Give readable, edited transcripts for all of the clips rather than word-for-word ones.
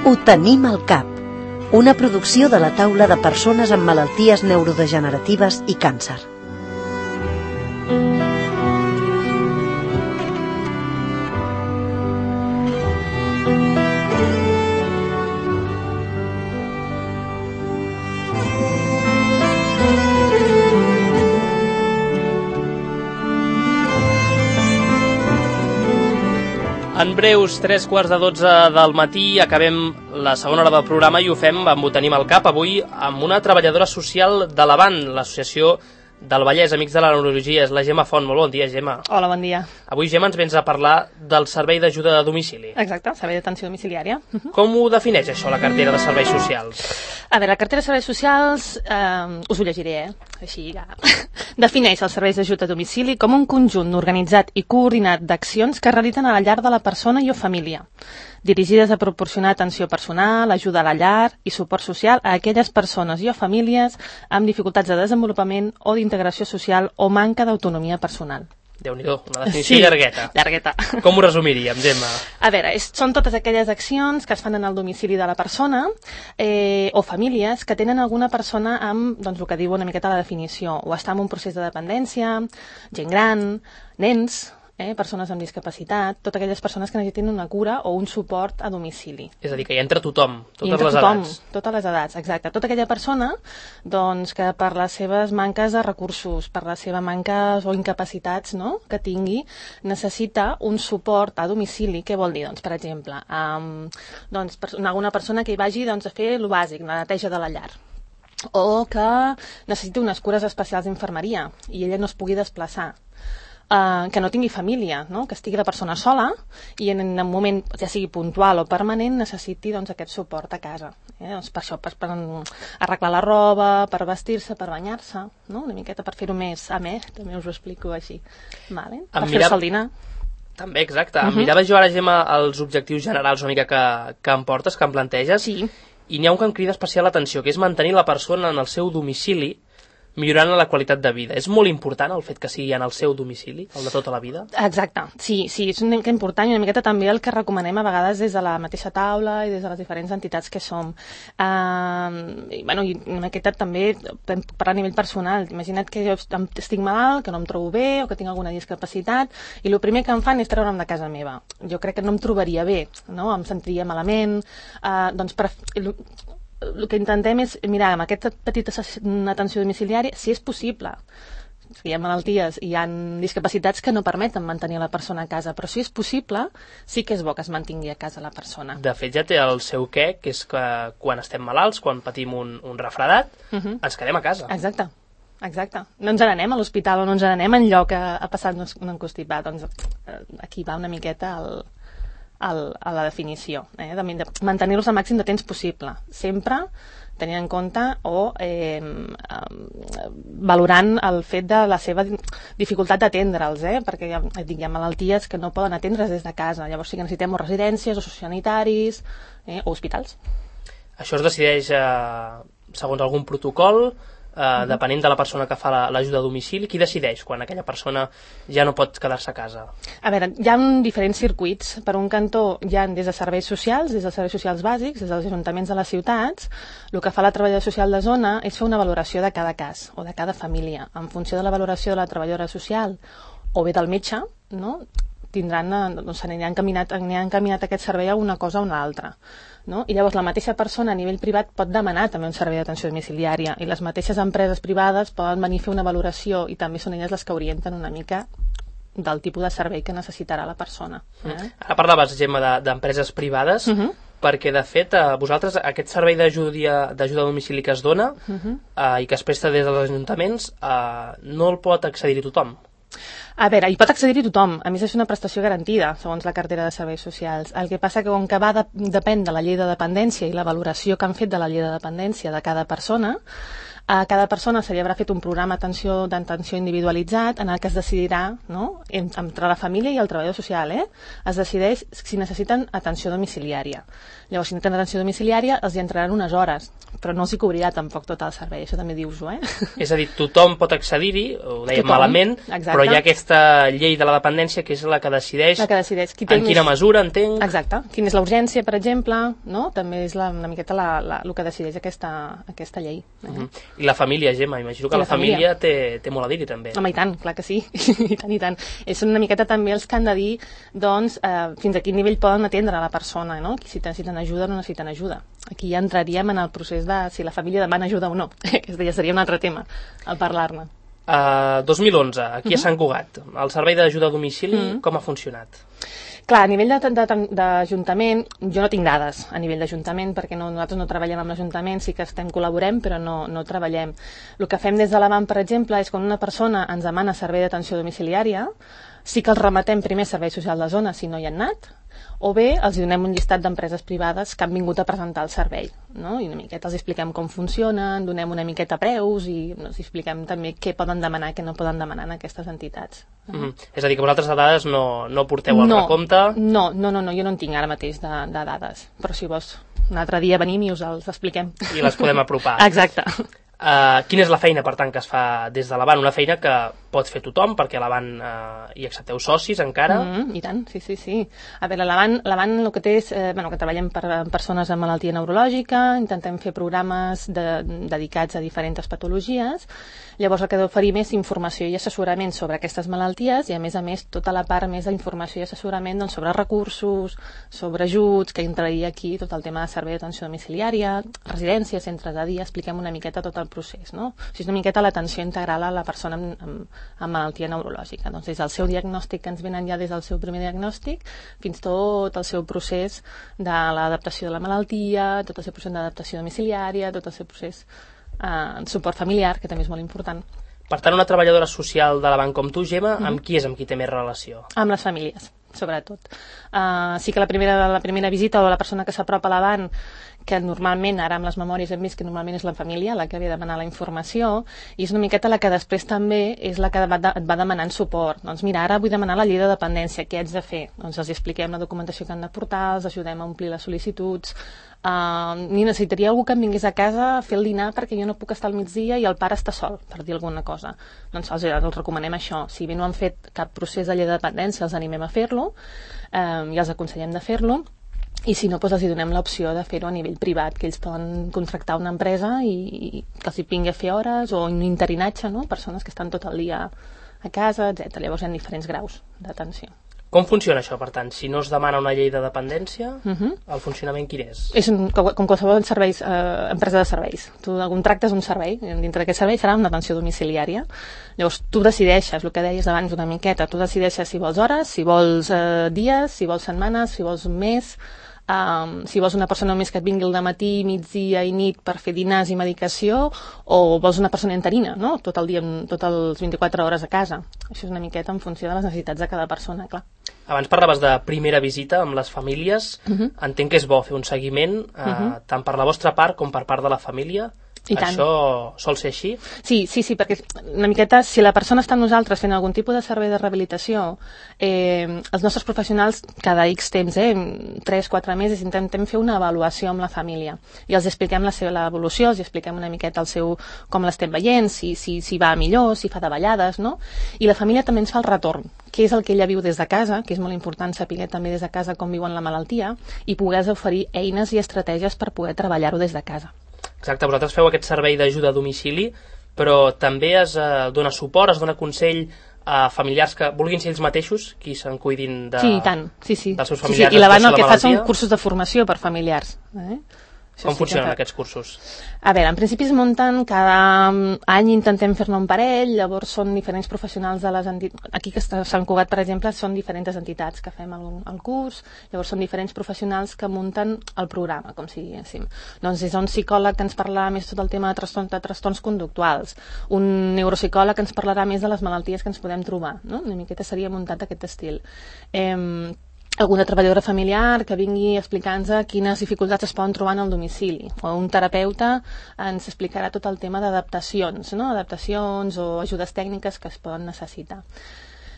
Ho tenim al cap. Una producció de la taula de persones amb malalties neurodegeneratives i càncer. En breus 3:15 del matí acabem la segona hora del programa i ho fem amb Ho tenim al cap, avui amb una treballadora social de l'Avant, l'associació del Vallès, Amics de la Neurologia. És la Gemma Font. Molt bon dia, Gemma. Hola, bon dia. Avui, Gemma, ens vens a parlar del servei d'ajuda a domicili. Exacte, servei d'atenció domiciliària. Com ho defineix, això, la cartera de serveis socials? A veure, la cartera de serveis socials, us ho llegiré, així ja. Defineix els serveis d'ajut a domicili com un conjunt organitzat i coordinat d'accions que es realitzen a la llar de la persona i o família, dirigides a proporcionar atenció personal, ajuda a la llar i suport social a aquelles persones i o famílies amb dificultats de desenvolupament o d'integració social o manca d'autonomia personal. Déu-n'hi-do, una definició llargueta. Llargueta. Com ho resumiríem, Gemma? A veure, són totes aquelles accions que es fan en el domicili de la persona o famílies que tenen alguna persona amb, doncs, el que diu una miqueta la definició, o està en un procés de dependència, gent gran, nens, persones amb discapacitat, totes aquelles persones que necessiten una cura o un suport a domicili. És a dir, que hi entra tothom, totes les edats. Totes les edats, exacte. Tota aquella persona doncs, que per les seves manques de recursos, per les seves manques o incapacitats que tingui, necessita un suport a domicili. Què vol dir? Doncs, per exemple, alguna persona que hi vagi a fer el bàsic, la neteja de la llar, o que necessiti unes cures especials d'infermeria i ella no es pugui desplaçar, que no tingui família, que estigui la persona sola i en un moment, ja sigui puntual o permanent, necessiti aquest suport a casa. Per això, per arreglar la roba, per vestir-se, per banyar-se, una miqueta per fer-ho més amè, també us ho explico així. Per fer-se el dinar. També, exacte. Mirava jo ara, Gemma, els objectius generals una mica que em portes, que em planteges, sí. I n'hi ha un que em crida especial l'atenció, que és mantenir la persona en el seu domicili millorant la qualitat de vida. És molt important el fet que sigui en el seu domicili, el de tota la vida? Exacte, sí, és una mica important i una miqueta també el que recomanem a vegades des de la mateixa taula i des de les diferents entitats que som. I una miqueta també per a nivell personal. Imagina't que jo estic malalt, que no em trobo bé o que tinc alguna discapacitat i el primer que em fan és treure'm de casa meva. Jo crec que no em trobaria bé, em sentiria malament, el que intentem és mirar amb aquesta petita atenció domiciliària, si és possible. Hi ha malalties i hi ha discapacitats que no permeten mantenir la persona a casa, però si és possible, sí que és bo que es mantingui a casa la persona. De fet, ja té el seu què, que és que quan estem malalts, quan patim un refredat, ens quedem a casa. Exacte. No ens n'anem a l'hospital o no ens n'anem enlloc a passar-nos un encostipat. Doncs aquí va una miqueta a la definició, de mantenir-los el màxim de temps possible, sempre tenint en compte o valorant el fet de la seva dificultat d'atendre'ls, perquè hi ha malalties que no poden atendre's des de casa, llavors sí que necessitem o residències o sociosanitaris o hospitals. Això es decideix segons algun protocol, depenent de la persona que fa l'ajuda a domicili. Qui decideix quan aquella persona ja no pot quedar-se a casa? A veure, hi ha diferents circuits. Per un cantó hi ha des de serveis socials, des dels serveis socials bàsics, des dels ajuntaments de les ciutats. El que fa la treballadora social de zona és fer una valoració de cada cas o de cada família. En funció de la valoració de la treballadora social o bé del metge, s'aniran encaminat aquest servei a una cosa o una altra. I llavors la mateixa persona a nivell privat pot demanar també un servei d'atenció domiciliària i les mateixes empreses privades poden venir a fer una valoració i també són elles les que orienten una mica del tipus de servei que necessitarà la persona. Ara parlaves, Gemma, d'empreses privades, perquè de fet vosaltres aquest servei d'ajuda a domicili que es dona i que es presta des dels ajuntaments no el pot accedir-hi tothom. A veure, hi pot accedir-hi tothom. A més, és una prestació garantida, segons la cartera de serveis socials. El que passa que com que depèn de la llei de dependència i la valoració que han fet de la llei de dependència de cada persona, A cada persona se li haurà fet un programa d'atenció individualitzat en el que es decidirà, no?, entre la família i el treballador social, es decideix si necessiten atenció domiciliària. Llavors, si necessiten atenció domiciliària, els hi entraran unes hores, però no els hi cobrirà tampoc tot el servei, això també dius-ho, És a dir, tothom pot accedir-hi, ho dèiem malament, però hi ha aquesta llei de la dependència que és la que decideix en quina mesura, entenc. Exacte, quina és la urgència, per exemple, no? També és una miqueta el que decideix aquesta llei. I la família, Gemma, imagino que la família té molt a dir-hi també. Home, i tant, clar que sí, i tant. És una miqueta també els que han de dir, doncs, fins a quin nivell poden atendre la persona, no? Si necessiten ajuda o no necessiten ajuda. Aquí ja entraríem en el procés de si la família demana ajuda o no, que ja seria un altre tema, al parlar-ne. 2011, aquí a Sant Cugat, el servei d'ajuda a domicili, com ha funcionat? Clar, a nivell d'Ajuntament, jo no tinc dades a nivell d'Ajuntament, perquè nosaltres no treballem amb l'Ajuntament, sí que col·laborem, però no treballem. El que fem des de l'ABAN, per exemple, és quan una persona ens demana servei d'atenció domiciliària, sí que els rematem primer servei social de zona si no hi han anat, o bé els donem un llistat d'empreses privades que han vingut a presentar el servei, no? I una miqueta els expliquem com funcionen, donem una miqueta preus i els expliquem també què poden demanar i què no poden demanar en aquestes entitats. És a dir, que vosaltres de dades no porteu al recompte? No, jo no en tinc ara mateix de dades, però si vols un altre dia venim i us els expliquem. I les podem apropar. Exacte. Quina és la feina, per tant, que es fa des de l'ABAN? Una feina que pot fer tothom, perquè a l'ABAN hi accepteu socis encara? I tant, sí. A veure, l'ABAN el que té és que treballem per persones amb malaltia neurològica, intentem fer programes dedicats a diferents patologies. Llavors el que oferim és informació i assessorament sobre aquestes malalties i a més tota la part més d'informació i assessorament sobre recursos, sobre ajuts, que entraria aquí tot el tema de servei d'atenció domiciliària, residències, centres de dia, expliquem una miqueta tot el procés, no? O sigui, és una miqueta l'atenció integral a la persona amb malaltia neurològica. Doncs des del seu diagnòstic, que ens venen ja des del seu primer diagnòstic, fins tot el seu procés de l'adaptació de la malaltia, tot el seu procés d'adaptació domiciliària, tot el seu procés suport familiar, que també és molt important. Per tant, una treballadora social de l'ABAN com tu, Gemma, amb qui té més relació? Amb les famílies, sobretot. Sí que la primera visita o la persona que s'apropa a l'ABAN, que normalment, ara amb les memòries hem vist que normalment és la família la que ve a demanar la informació, i és una miqueta la que després també és la que et va demanant suport. Doncs mira, ara vull demanar la llei de dependència, què haig de fer? Doncs els expliquem la documentació que han de portar, els ajudem a omplir les sol·licituds, ni necessitaria algú que em vingués a casa a fer el dinar perquè jo no puc estar al migdia i el pare està sol, per dir alguna cosa. Doncs els recomanem això. Si bé no han fet cap procés de llei de dependència, els animem a fer-lo, i els aconsellem de fer-lo, i si no, doncs els donem l'opció de fer-ho a nivell privat, que ells poden contractar una empresa i que els hi vingui a fer hores, o un interinatge, no? Persones que estan tot el dia a casa, etc. Llavors hi ha diferents graus d'atenció. Com funciona això, per tant? Si no es demana una llei de dependència, el funcionament quin és? És com qualsevol empresa de serveis. Tu contractes un servei, dintre d'aquest servei serà una atenció domiciliària. Llavors tu decideixes, el que deies abans una miqueta, tu decideixes si vols hores, si vols dies, si vols setmanes, si vols un mes, si vols una persona només que et vingui al matí, migdia i nit per fer dinars i medicació, o vols una persona interina, no? Tot el dia, totes les 24 hores a casa. Això és una miqueta en funció de les necessitats de cada persona, clar. Abans parlaves de primera visita amb les famílies. Entenc que és bo fer un seguiment tant per la vostra part com per part de la família. Això sol ser així? Sí, perquè una miqueta, si la persona està amb nosaltres fent algun tipus de servei de rehabilitació, els nostres professionals cada X temps, 3-4 mesos, intentem fer una avaluació amb la família i els expliquem l'evolució, els expliquem una miqueta com l'estem veient, si va millor, si fa davallades, no? I la família també ens fa el retorn, què és el que ella viu des de casa, que és molt important saber també des de casa com viuen la malaltia i poder oferir eines i estratègies per poder treballar-ho des de casa. Exacte, vosaltres feu aquest servei d'ajuda a domicili, però també es dona suport, es dona consell a familiars que vulguin ser ells mateixos qui se'n cuidin dels seus familiars. I l'ABAN el que fa són cursos de formació per familiars. Com funcionen aquests cursos? A veure, en principi es munten cada any, intentem fer-ne un parell, llavors són diferents professionals de les entitats. Aquí que està Sant Cugat, per exemple, són diferents entitats que fem el curs, llavors són diferents professionals que munten el programa, com si diguéssim. Doncs és un psicòleg que ens parlarà més tot el tema de trastorns conductuals, un neuropsicòleg que ens parlarà més de les malalties que ens podem trobar, no? Una miqueta seria muntat d'aquest estil. alguna treballadora familiar que vingui a explicar-nos quines dificultats es poden trobar en el domicili, o un terapeuta ens explicarà tot el tema d'adaptacions, no? Adaptacions o ajudes tècniques que es poden necessitar.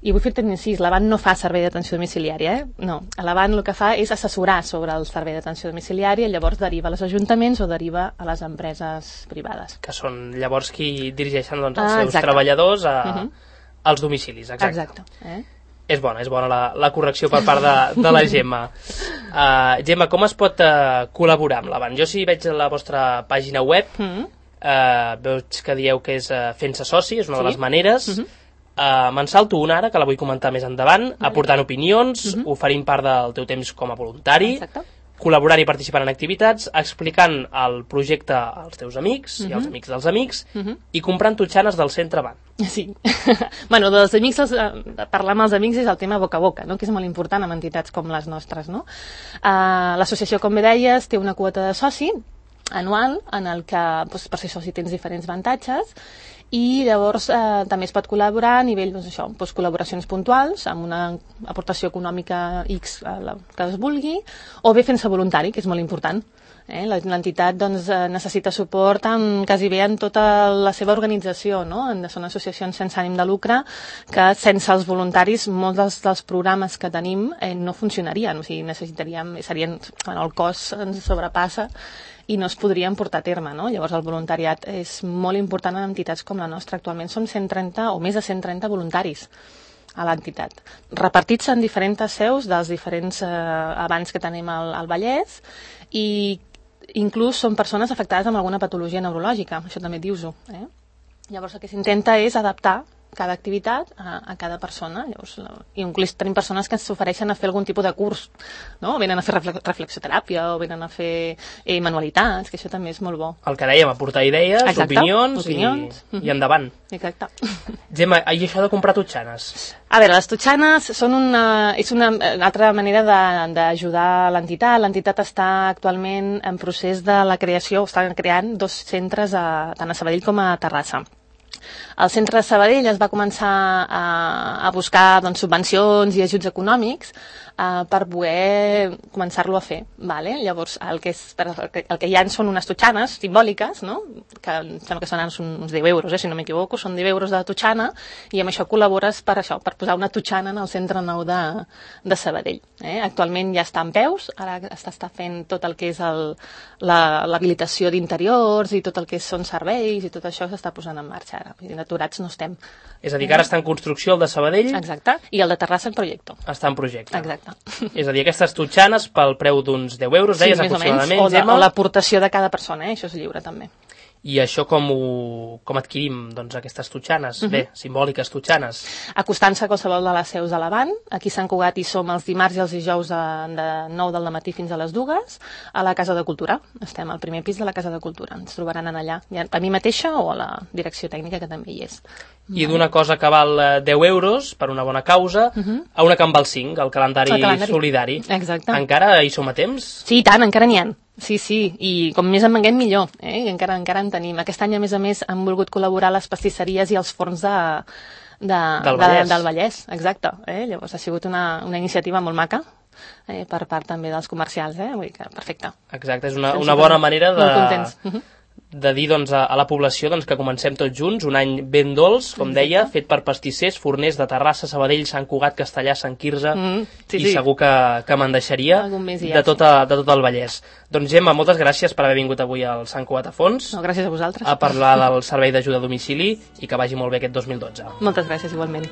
I vull fer-te un incís, l'Avant no fa servei d'atenció domiciliària, No, l'Avant el que fa és assessorar sobre el servei d'atenció domiciliària i llavors deriva als ajuntaments o deriva a les empreses privades. Que són llavors qui dirigeixen els seus treballadors als domicilis, exacte. És bona la correcció per part de la Gemma. Gemma, com es pot col·laborar amb l'Avant? Jo si veig la vostra pàgina web, veig que dieu que és fent-se soci, és una de les maneres. Me'n salto una ara, que la vull comentar més endavant, aportant opinions, oferint part del teu temps com a voluntari, col·laborant i participant en activitats, explicant el projecte als teus amics i als amics dels amics, i comprant totxanes del centre Avant. Sí. Bueno, dels amics, parlar amb els amics és el tema boca a boca, no? Que és molt important en entitats com les nostres, no? L'associació, com bé deies, té una quota de soci anual en el que per ser soci tens diferents avantatges i llavors també es pot col·laborar a nivell col·laboracions puntuals amb una aportació econòmica X que es vulgui, o bé fent-se voluntari, que és molt important. L'entitat necessita suport quasi bé en tota la seva organització, no? Són associacions sense ànim de lucre que sense els voluntaris molts dels programes que tenim no funcionarien, o sigui, el cost ens sobrepassa i no es podrien portar a terme, no? Llavors el voluntariat és molt important en entitats com la nostra. Actualment som 130 o més de 130 voluntaris a l'entitat, repartits en diferents seus dels diferents abans que tenim al Vallès, i inclús són persones afectades amb alguna patologia neurològica, això també dius-ho. Llavors el que s'intenta és adaptar cada activitat a cada persona. Llavors, inclús tenim persones que s'ofereixen a fer algun tipus de curs, no? Venen a fer reflexoteràpia o venen a fer manualitats, que això també és molt bo. El que dèiem, aportar idees, opinions i endavant. Exacte. Gemma, i això de comprar totxanes? A veure, les totxanes és una altra manera d'ajudar l'entitat. L'entitat està actualment en procés de la creació, estan creant 2 centres tant a Sabadell com a Terrassa. El centre de Sabadell es va començar a buscar subvencions i ajuts econòmics per poder començar-lo a fer. Vale? Llavors, el que hi ha són unes totxanes simbòliques, no? Que em sembla que són uns 10 euros, si no m'equivoco, són 10 euros de totxana, i amb això col·labores per posar una totxana en el centre nou de Sabadell. Actualment ja està en peus, ara està fent tot el que és l'habilitació d'interiors i tot el que són serveis i tot això s'està posant en marxa ara. Aturats no estem. És a dir, que ara està en construcció el de Sabadell. Exacte, i el de Terrassa en projecte. Està en projecte. Exacte. És a dir, aquestes totxanes pel preu d'uns 10 euros, deies, aproximadament. O l'aportació de cada persona, això és lliure també. I això com adquirim, aquestes totxanes? Bé, simbòliques totxanes. Acostant-se a qualsevol de les seus de l'Avant. Aquí a Sant Cugat hi som els dimarts i els dijous de 9 del matí fins a les 2 a la Casa de Cultura. Estem al primer pis de la Casa de Cultura. Ens trobaran allà, a mi mateixa o a la direcció tècnica, que també hi és. I d'una cosa que val 10 euros per una bona causa a una que en val 5, el calendari solidari. Exacte. Encara hi som a temps? Sí, tant, encara n'hi ha. Sí, i com més en venguem millor, encara en tenim. Aquest any, a més, han volgut col·laborar les pastisseries i els forns del Vallès. Exacte. Llavors ha sigut una iniciativa molt maca per part també dels comercials. Vull dir que perfecte. Exacte, és una bona manera de dir a la població que comencem tots junts, un any ben dolç, com deia, fet per pastissers, forners de Terrassa, Sabadell, Sant Cugat, Castellà, Sant Quirze, i segur que me'n deixaria de tot el Vallès. Doncs Gemma, moltes gràcies per haver vingut avui al Sant Cugat a Fons. No, gràcies a vosaltres. A parlar del servei d'ajuda a domicili i que vagi molt bé aquest 2012. Moltes gràcies, igualment.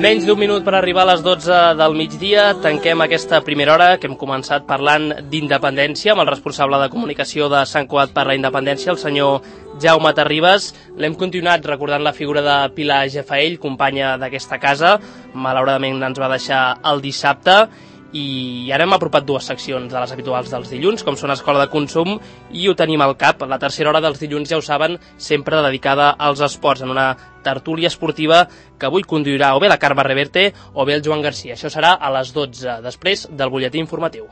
Menys d'un minut per arribar a les 12 del migdia. Tanquem aquesta primera hora que hem començat parlant d'independència amb el responsable de comunicació de Sant Cugat per la Independència, el senyor Jaume Terribas. L'hem continuat recordant la figura de Pilar Gefaell, companya d'aquesta casa. Malauradament ens va deixar el dissabte. I ara hem apropat dues seccions de les habituals dels dilluns, com són Escola de Consum i Ho tenim al cap. La tercera hora dels dilluns, ja ho saben, sempre dedicada als esports, en una tertúlia esportiva que avui conduirà o bé la Carme Reverte o bé el Joan Garcia. Això serà a les 12, després del butlletí informatiu.